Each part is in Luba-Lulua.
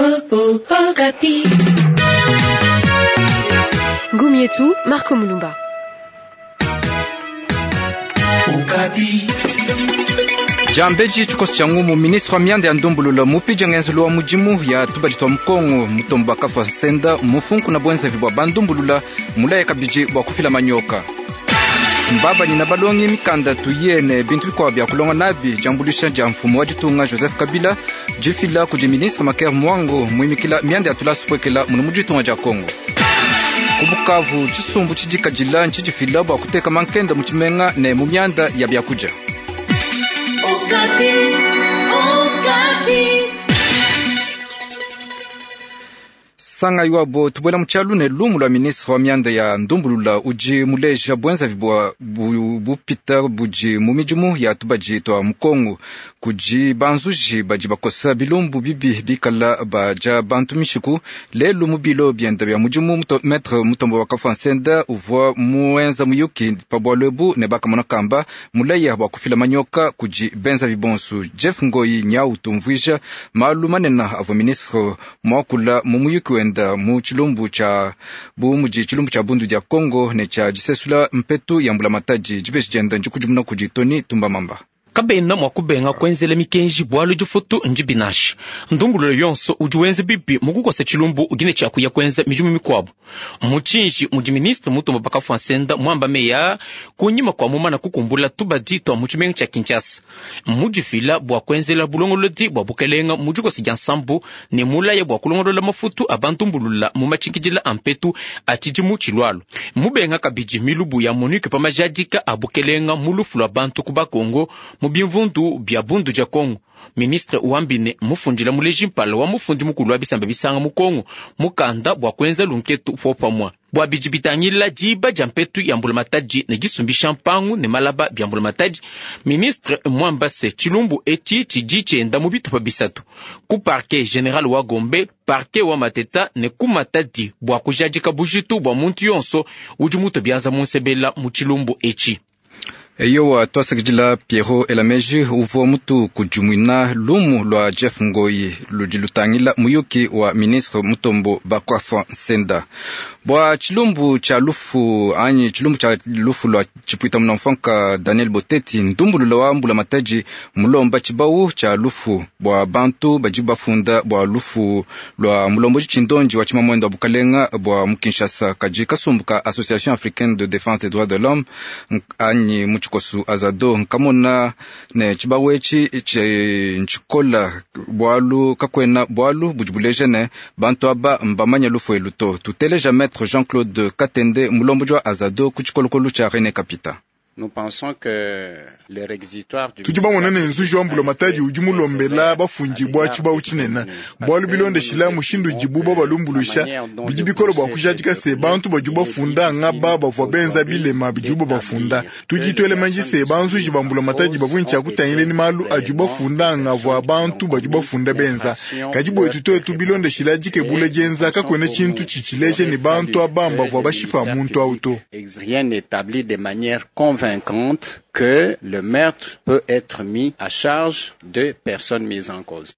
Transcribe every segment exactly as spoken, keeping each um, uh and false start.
Okapi. Gumietu, Marco Mulumba. Jambeji tshikoso tshia ngumu ministre wa mianda ya ndumbulula mupidja ngenzelu wa mudimu ya tubadi twa mukongo mutombo bakafwa nsenda mufunku na bwenzevi bwa bandumbulula mulaya kabidi bwa kufila manyoka mbabanyina balongi mikanda tuyene bintu bikuabo bya kulonga nabi diambulusha dia mfumu wa ditunga Joseph Kabila difila kudi ministre Maker Mwango muimikila mianda ya tulasa tupwekela munu mu ditunga dia Kongo. Ku Bukavu tshisumbu tshidikadila ntshidifila bua kuteka mankenda mu tshimenga ne mu mianda ya biakudia. Okapi, Okapi. Sanga iwabo tubuela mu tshialu ne lumu lua ministre wa mianda ya ndumbulula udi muleja bwenzavi bua bu, bupita budi mu midimu ya tubadi twa mukongo kudi banzuji badi bakosa bilumbu bibi bikala baja bantu mishiku lelu mu bilo bienda bya mudimu muto, maître Mutombo wa Nsenda uvua muenza muyuki pa bualu ebu ne bakamona kamba mulaya bua kufila manyoka kudi benzavi bonsu. Jeff Ngoyi nyau tumvuija malu manene avua ministre muakula mu muyuki wenda mu tshilumbu tshia bu mudi tshilumbu tshia bundu dia Kongo ne tshia disesula mpetu ya mbulamatadi dibeji dienda ndikudimuna kudi Tony Tumbamamba. Kabena mua kubenga kuenzela mikenji bualu difutu ndibinasha ndumbululo yonso udi wenza bibi mukukosa tshilumbu ugine tshiakuya kuenza midimu mikuabu mutshinji mudi ministre Mutombo Bakafwa Nsenda muamba meya kunyima kua mumana kukumbula tubadi tua mu tshimenga tshia Kinshasa mudifila bua kuenzela bulongolodi bua bukelenga mu dikosa dia nsambu ne mulaya bua kulongolola mafutu a bantumbulula mu matshinkidila a mpetu a tshidimu tshilualu mubenga kabidi milubu ya Monique pa majadika a bukelenga mu lufu lua bantu ku Bakongo mu bimvundu bya bundu dia Kongo. Ministre wambine mufundila muleji mpala wa mufundi mukulu wa bisamba bisanga mu Kongo mukanda bua kuenza lunketu popamwa bua bidi bitangila diba dia mpetu ya mbulamatadi ne disumbisha mpangu ne malaba bya mbulamatadi. Ministre mwamba se tshilumbu etshi tshidi tshienda mu bitupa bisatu ku parquet general wa Gombe, parquet wa Mateta ne ku Matadi bua kujadika bujitu bua muntu yonso udi mutu bianza mu nsebela mu tshilumbu etshi. Eyowa twasakidila Pierrot Elameji uvua mutu kudimuina lumu lua Jeff Ngoyi ludi lutangila muyuki wa ministre Mutombo Bakwafa Nsenda bua tshilumbu tshia lufu anyi tshilumbu tshia lufu lua tshipuita munamfanka Daniel Boteti ndumbulula wa mbulamatadi mulomba tshibawu tshia lufu bua bantu badi bafunda bua lufu lua mulomboji tshindondi wa tshimamwendo wa bukalenga bua mu Kinshasa kadi kasumbu ka Association africaine de défense des droits de l'homme anyi mu tshikosu Azado nkamona ne tshibawu etshi ntshikola bualu kakwena bualu budi buleja ne bantu aba mbamanya lufu elu to. Tuteleja maître Jean-Claude Katende mulomboji wa Azado ku tshikolokolo tshia René Kapita. Tudi bamona ne nzuji wa mbulamatadi udi mulombela bafundibua tshibawu tshinene bualu bilondeshila mushindu udibu babalumbuluisha bidi bikole bua kujadika se bantu badi bafunda ngaba bavua benza bilema bidibu bafunda. Tudi tuele manji se banzuji ba mbulamatadi bavua ntshia kutangila ni malu adi bafunda ngavua bantu badi bafunda benza kadi bwetu twetu bilondeshila dikebula dienza kakuena tshintu tshitshileje ne bantu aba bavua bashipa muntu awu to. Rien n'établit de manière convaincante que le meurtre peut être mis à charge de personnes mises en cause.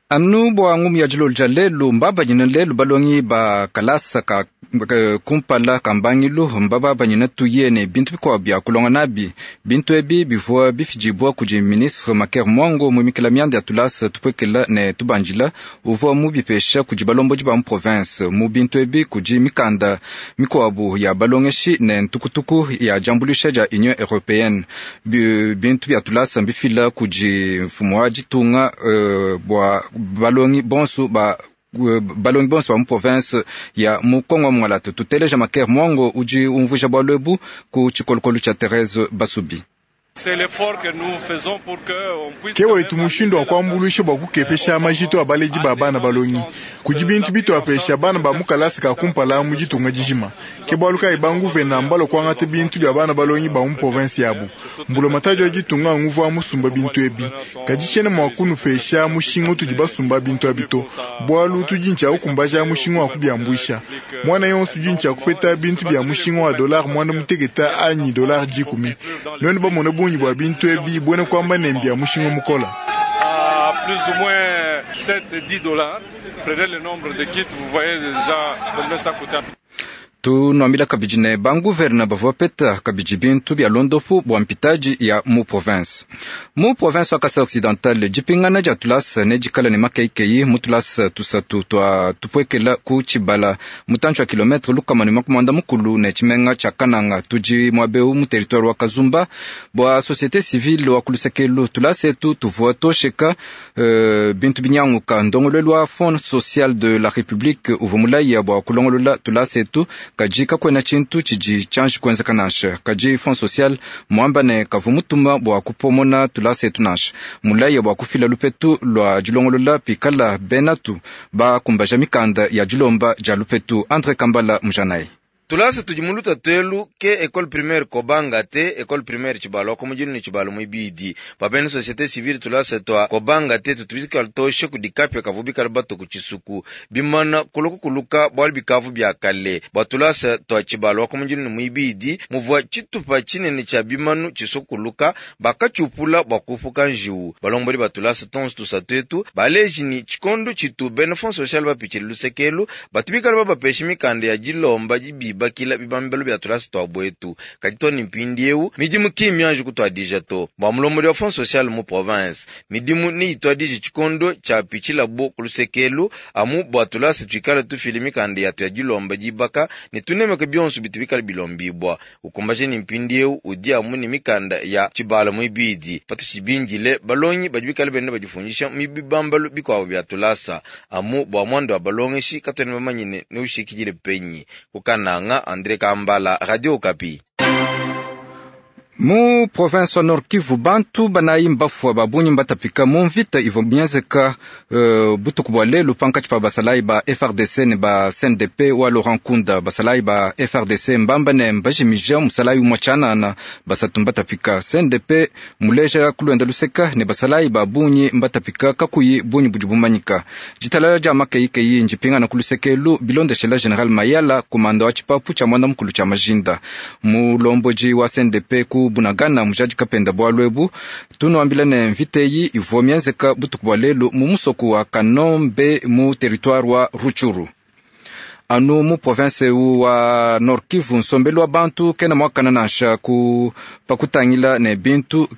Anu bua ngumu ya dilolo dia lelu mbabanyina lelu balongi ba kalasa ka kumpala ka mbangilu mbababanyina tuye ne bintu bikuabo bya kulonga nabi. Bintu ebi bivua bifidibua kudi ministre Maker Mwango muimikila mianda ya tulasa tupwekela ne tubanjila uvua mubipesha kudi balombodi ba mu province. Mu bintu ebi kudi mikanda mikuabu ya balongeshi ne ntukutuku ya diambuluisha dia Union européenne. Bintu bya tulasa mbifila kudi mfumu wa ditunga uh, bua balongi bonso ba balongi bonso ba mu province ya mu Kongo wa Mwalatu. Tuteleja Maker Mwango udi umvuija bualu ebu ku tshikolokolo tshia Therese Basubi. Ke wetu mushindu wa kuambuluisha bua kukepesha majitu a baledi ba bana balongi kudi bintu bituapesha bana ba mu kalasa ka kumpala mu ditunga dijima. Ke bualu kayi banguvena mbalo kuangata bintu bia bana balongi ba mu province yabu mbulamatadi wa ditunga nguvua musumba bintu ebi kadi tshiena mua kunupesha mushinga utudi basumba bintu abi to bualu tudi ntshia kukumbaja mushinga wa kubiambuisha mwana yonso tudi ntshia kupeta bintu bia mushinga wa dollar mwanda muteketa anyi dollar dikumi nuenu bamona bungi bua bintu ebi buena kuamba ne mbia mushinga mukola. plus ou moins sept dix dollars. Prenez le nombre de kits, vous voyez déjà combien ça coûte. Tunuambila kabidi ne banguverna bavua bapeta kabidi bintu bia londopu bua mpitaji ya mu province. Mu province wa Kasai Occidental, dipingana dia tulasa ne dikala ne makeikeyi mu tulasa tusatu tua tupuekela ku tshibala mutantshi wa kilometre lukama ne makumi muanda mukulu ne tshimenga tshia Kananga tudi muabeu mu territoire wa Kazumba bua société civile wa kulusekelu tulasa etu tuvua tosheka uh, bintu binyanguka ndongoluelu wa Fond social de la République uvua mulaya bua kulongolola tulasa etu kaji kakwena tshintu tshidi tshianji kuenzeka nansha kaji Fond social muamba ne kavu mutuma bua kupomona tulasa etu nansha mulaya bua kufila lupetu lua dilongolola pikala benatu bakumbaja mikanda ya dilomba dia lupetu. Andre Kambala Mujanayi. Tulasa tudi mu lutatu elu ke école primaire Kobanga te école primaire Tshibalo ko mujinu ni Tshibalo mwibidi babene société civile tulasa twa Kobanga te tutubikala toshe kudikapya kavubikala bato ku tshisuku bimana kuluku kuluka bwali bikavu bya kale bwa tulasa twa Tshibalo ko mujinu ni mwibidi muvwa tshitupa tshinene tshia bimanu tshisuku bakatshupula bwa kufuka njiwu balomboli ba tulasa tonso tusatu etu baleji ni tshikondo tshitu bene fond social bapitshile lusekelu batubikala babapesha mikanda ya dilomba dibiba kila bibambelo bya tulasa twa bwetu kadi to ni mpindi eu midimu kimyanji kutwadija to bwa mulomboli wa fond social mu province midimu ni itwadije tshikondo tshia pitshila bo kulusekelu amu bwa tulasa tuikala tufile mikanda yatu ya dilomba dibaka ne tunemeke bionso bitu bikala bilombibwa ukumbaje ni mpindi eu udi amu ni mikanda ya tshibala mwibidi patu tshibindile balongi badi bikala benda badifundisha mu bibambalo bikwabo bya tulasa amu bwa mwando wa balongeshi katwene bamanyine ne ushikidile penyi kukananga. André Kambala, Radio Okapi. Mu province wa Nord Kivu bantu banayi mbafua babunyi mbatapika mu mvita ivua mienzeka uh, butuku bua lelu pankatshi pa basalayi ba F R D C ne ba C N D P wa Laurent Nkunda. Basalayi ba F R D C mbamba ne mbajimija musalayi umua tshianana basatu mbatapika. C N D P muleja kulwenda luseka ne basalayi babunyi mbatapika kakuyi bunyi budi bumanyika. Ditalala dia makeikeyi njipingana kulusekelu bilondeshela General Mayala kumanda wa tshipapu tshia mwanda mukulu tshia majinda. Mulomboji wa C N D P ku Bunagana mujadi kapenda bwalu ebu tunuambila ne mviteyi ivua mienzeka butuku bua lelu mu musoko wa Kanombe mu territoire wa Rutshuru. Anu mu province wa Nord Kivu nsombelu wa bantu kena mwakana nansha ku pakutangila ne bintu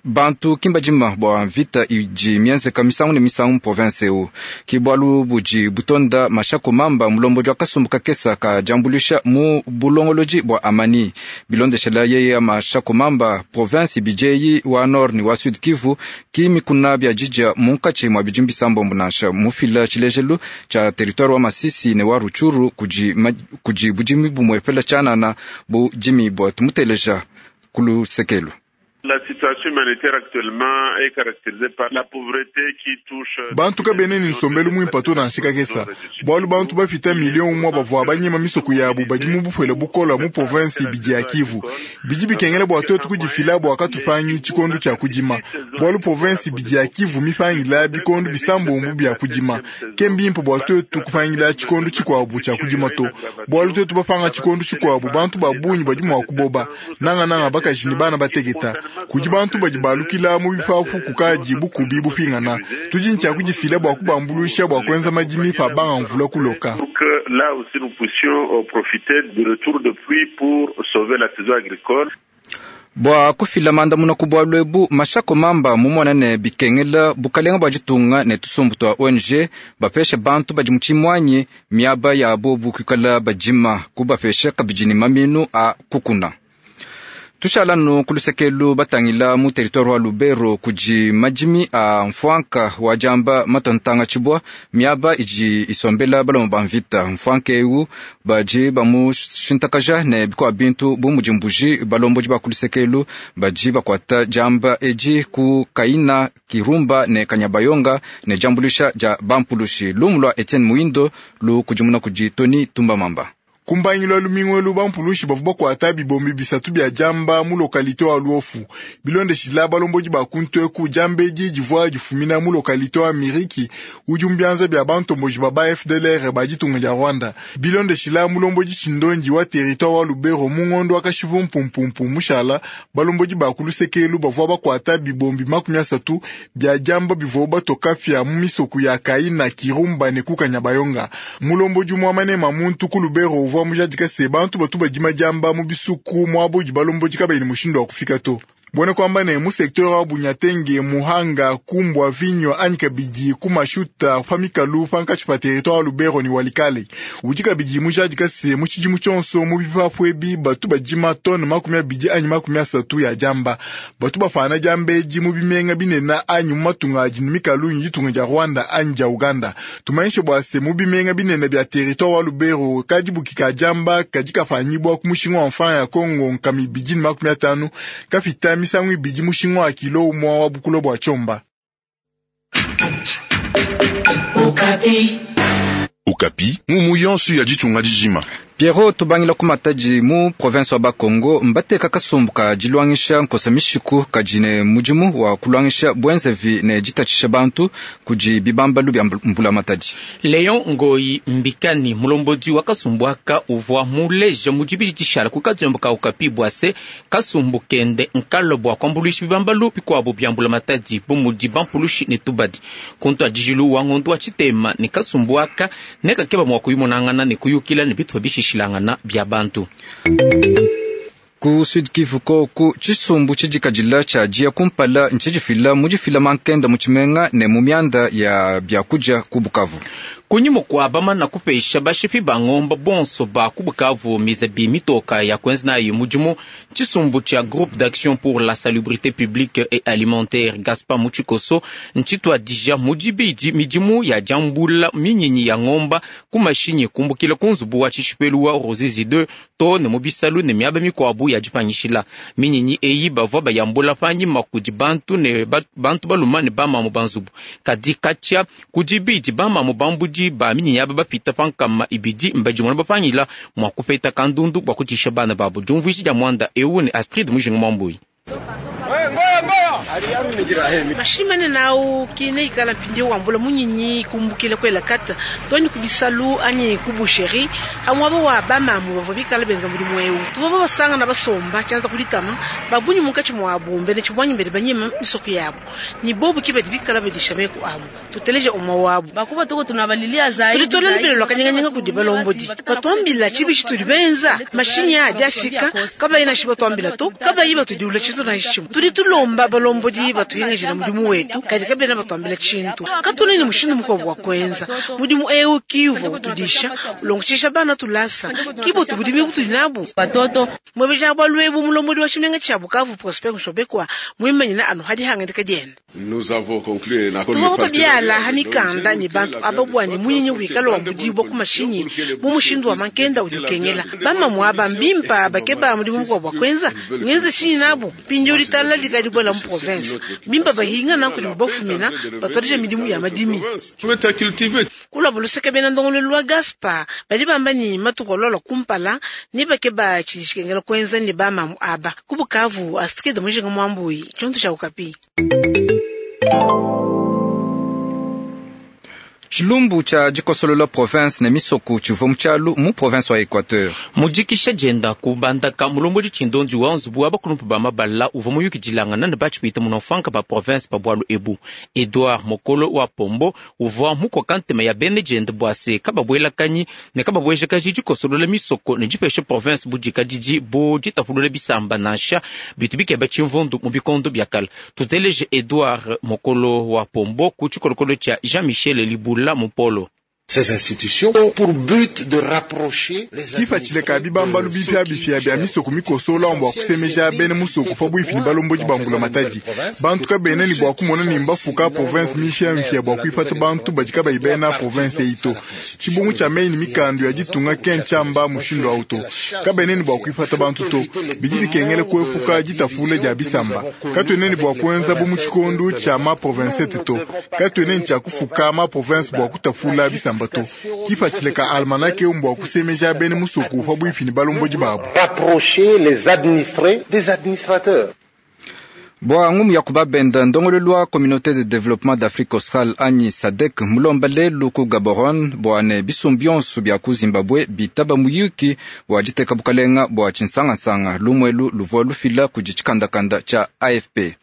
bantu kimbadima bua mvita idi mienzeka misangu ne misangu mu province eu kibwalu budi butonda mashako mamba mulombodi wa kasumbu kakesa ka diambulisha mu bulongolodi bua amani bilondeshela yeye mashako mamba province bijeyi wa nord ni wa sud Kivu kimikuna bia didja munkatshi mua bidi mbisambombo nansha mufila tshilejelu tshia territoire wa Masisi ne wa Rutshuru kudi, kudi budimi bumuepela tshianana budimi bua tumuteleja kulusekelu. La situation humanitaire actuellement est caractérisée par la pauvreté qui touche bantu kabene ni nsombelu mwimpa to nansha kakesa bwalu bantu bafita million umwa bavua banyima misoko yabu badi mu bupwele bukola mu province ibidi ya Kivu bidi bikengela bua twetu kudifila bua katupangi tshikondo tshia kudima bwalu province ibidi ya Kivu mipangila bikondo bisambombu bia kudima ke mbimpe bua twetu kupangila tshikondo tshikuabu tshia kudima to bwalu twetu bapanga tshikondo tshikuabu bantu babunyi badi mua kuboba nanga nanga bakaji ni bana bateketa kudi bantu badi balukila mu bipapu kukadi bukubi bupingana tudi ntshia kudifila bua kubambuluisha bua kuenza madimi pa banga mvula kuloka. Là aussi nous puissions profiter du retour de pluie pour sauver la saison agricole. Bua kufila mandamuna ku bwalu ebu mashako mamba mumona ne bikengela bukalenga bua ditunga ne tusumbu tua O N G bapesha bantu badi mu tshimwanyi miaba yabo bukuikala badima kubapesha kabidi ne maminu a kukuna. Tushalanu kulusekelu batangila mu territoire wa Lubero kudi madimi a mfwanka wa jamba matontanga tshibwa miaba idi isombela balomo ba mvita mfwanka eu badi bamushintakaja ne bikwa bintu bu mudi mbuji balombodi ba kulusekelu badi bakwata jamba edi ku Kaina Kirumba ne Kanyabayonga ne jambulisha ja bampulushi lumu lwa Etienne Muindo lu kudimuna kudi Tony Tumbamamba. Kumbangilu lumingu elu bampulushi bavua bakuata bibombi bisatu bia jamba mu localité wa Luofu. Bilondeshila balombodi ba kuntu eku jamba edi divua difumina mu localité wa Miriki udi mu bianza bia bantomboji ba ba F D L R ba ditunga dia Rwanda. Bilondeshila mulombodi Tshindondi wa territoire wa Lubero mu ngondo wa Kashivu mpumpumpu mushala balombodi ba kulusekelu bavua bakuata bibombi makumi asatu bia jamba bivua batoka fya mu misoko ya Kaina, Kirumba ne Kukanyabayonga. Mulombodi mwamane mamuntu ku Lubero uvua mujadika se bantu batu badima jamba mu bisuku mwabo di balombodi kabayi mushindu wa kufika to. Bwene kwamba ne mu secteur wa Bunyatenge, Muhanga, Kumbwa, Vinyo, anyi kabidi kumashuta famikalu pankachi pa territoire wa Lubero ni Walikale. Udi kabidi mujadika se mu tshidimu tshionso mu bipapu ebi batu badima tone makumi abidi anyi makumi asatu ya jamba. Batu bafana jamba edi mu bimenga binene anyi mu matunga adi ne mikalu nyi ditunga dia Rwanda anyi dia Uganda. Tumanyishe bua se mu bimenga binene bia territoire wa Lubero kadi bukika jamba kadi kafanyibwa ku mushinga wa mfranga ya Congo nkama ibidi ne makumi atanu kafita misangu ibidi mushinga wa kilo umwe wa bukulo bwa chomba. Okapi. Okapi, mumu yonso ya ditunga dijima. Pierrot tubangila kumataji mu province wa Bakongo mbateka kasumbu ka dilwangisha nkosa mishiku kajine mudimu wa kulwangisha bwenzevi ne ditatshisha bantu kudi bibambalu bya mbula mataji. Leon Ngoi Mbikani mulombodi wa kasumbu aka uvua muleja mudibidi tshishala ku kadiombo ka Okapi bwase kasumbu kende nkalo bwa kwambuluisha bibambalu bikuabu bya mbula matadi bu mudi bampulushi ne tubadi. Kuntu adijilu wa ngondo wa tshitema ne kasumbu aka ne kakeba mwa kuyimonangana ne kuyukila ne bitu bishishilangana bya bantu. Ku Sud Kivu koku tshisumbu tshidikadila tshia dia kumpala ntshidifila mudifila mankenda mu tshimenga ne mu mianda ya byakudia ku Bukavu. Kunyima kwa bamana kupesha bashipi ba ngomba bonso ba ku Bukavu mizabi mitoka ya kwenza nayo mudimu tshisumbu tshia Groupe d'action pour la salubrité publique et alimentaire Gaspard Muchikoso ntshituadija mudibidi midimu ya jambula minyinyi ya ngomba ku mashinyi kumbukila ku nzubu wa tshishipelu wa Ruzizi deux to ne mu bisalu ne miaba mikuabu ya dipanyishila minyinyi eyi bavua bayambula panyima kudi bantu ne ba, bantu baluma ne bamamu ba nzubu kadi katshia kudibidi bamamu bambudi ba minyinyi aba bapita pankama ibidi mbadimona bapangila mwa kupeta kandundu bwa kutisha bana babo diumvuishi dia mwanda ewu ne Astrid Mujinga Mwambui. Mashimane nao kine ikala mpindi wambula munyinyi kumbukile kwela kata toni kubisalu anyi kubusheri hamwabo wa bamamu bavua bikala benza mudimu ewu tuvua basanga na basomba tshianza kulitama babunyi munkatshi mwabu mbene tshibwanyi mbere banyima misoko yabo ni bobu kibedi bikala bedisha meku abu tuteleje umwa wabu bakuba tuko tunabalilia zaidi tulitolela lubilo lwakanyanganyanga kudi balombodi batwambila tshibishi tudi benza mashinyi adi afika kabayi na shiba twambila to kabayi batudiula tshintu na tshimu tudi tulomba balombodi batuhingajira mudimu wetu kadi kabena batwambila tshintu katulini mushindu mukuabu wa kwenza mudimu ewu kiuva utudisha ulongotshisha bana tulasa kibo tubudimi butuli nabu batoto mwebeja bwalwebu mulombodi wa tshimenga tshia Bukavu Prosper Nshobekwa mwimanyina anu hadi hangandika dienda Nous avons conclu un accord tuvua kutobyala hamikanda ni bantu ababwani munyinyi wikalo wa budibwa ku mashinyi mu mushindu wa mankenda udi ukengela bamamu aba mbimpa bakeba mudimu mukuabu wa kwenza ngenze shinyi nabu pindi ulitala likadibwela mu province bimba bahinga na kuli bafumina batwarije midimu ya madimi kula buluseke bena ndongolo lwa Gaspar bali bamba ni matuko lolo kumpala ni bakeba tshishikengela kwenza ni bamamu aba ku Bukavu Astrid Mujinga Mwambui chonto cha Okapi. Tshilumbu tshia dikosolola province ne misoko tshivua mu tshialu mu province wa Equateur. Mudikisha dienda kubandaka mulombodi tshindondi wa nzubu wa bakulumpu ba mabala uvua muyukidilangana ne batshipita munofanka ba province pa bwalu ebu. Edouard Mokolo wa Pombo uvua mukoka ntema ya bene dienda bua se kababwelakanyi ne kababwejakaji dikosolola misoko ne dipesha province budikadidi bu ditapulula bisamba nansha bitu bikeba tshimvundu mu bikondo bia kala. Tuteleje Edouard Mokolo wa Pombo ku tshikolokolo tshia Jean-Michel Libula Mupolo. Ces institutions ont pour but de rapprocher les kifatshile bibambalu bipya bipya bya misoko mikosola mbwa kusemeja bene musoko pa bwipini balombodi bambula matadi bantu kabene ni bwa kumona ni mbafuka province mipya mipya bwa kuipata bantu badika bayibena province ito tshibungu tshia mei ni mikandu ya ditunga kenchamba mushindu auto kabene ni bwa kuipata bantu to bidi bikengele kuepuka ditafula dia bisamba katwene ni bwa kuenza bu mu tshikondu tshia ma province to katwene ni tshia kufuka ma province bwa kutafula bisamba. bilamba to. Kipatshila ka almanake eu mbua kusemeja bena musoko pabuipi ne balombodi babu. Rapprocher les administrés des administrateurs. Bua ngumu ya kubabenda ndongoluelu wa Communauté de développement d'Afrique australe anyi SADC mulomba lelu ku Gaborone bua ne bisumbu bionso bia ku Zimbabwe bitaba muyuki wa diteka bukalenga bua tshinsangansanga lumuelu luvua lufila kudi tshikandakanda tshia A F P.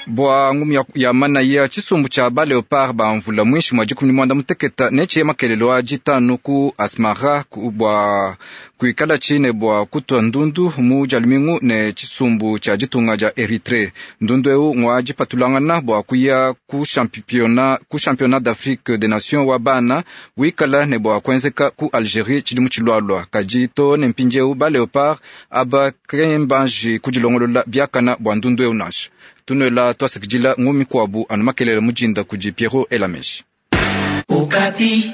Bua ngumu ya, ya manaya tshisumbu tshia ba Leopard ba mvula mwinshi mwa dikumi mwanda muteketa netshiye makelelo a ditanu ku Asmara ku, bua kuikala tshine bua kutua ndundu mu jalumingu ne tshisumbu tshia ditunga dia Eritrée. Ndundu eu ngwa dipatulangana bua kuya ku championnat ku championnat d'Afrique des Nations wa bana wikala ne bua kuenzeka ku Algérie tshidimu tshilualua. Kadi to ne mpindieu ba Leopard aba kembanji kudilongolola biakana bua ndundu eu nansha. Tunuela twasikidila ngumi kwabu anu makelele mujinda kudi Pierrot Elameshi. Okapi.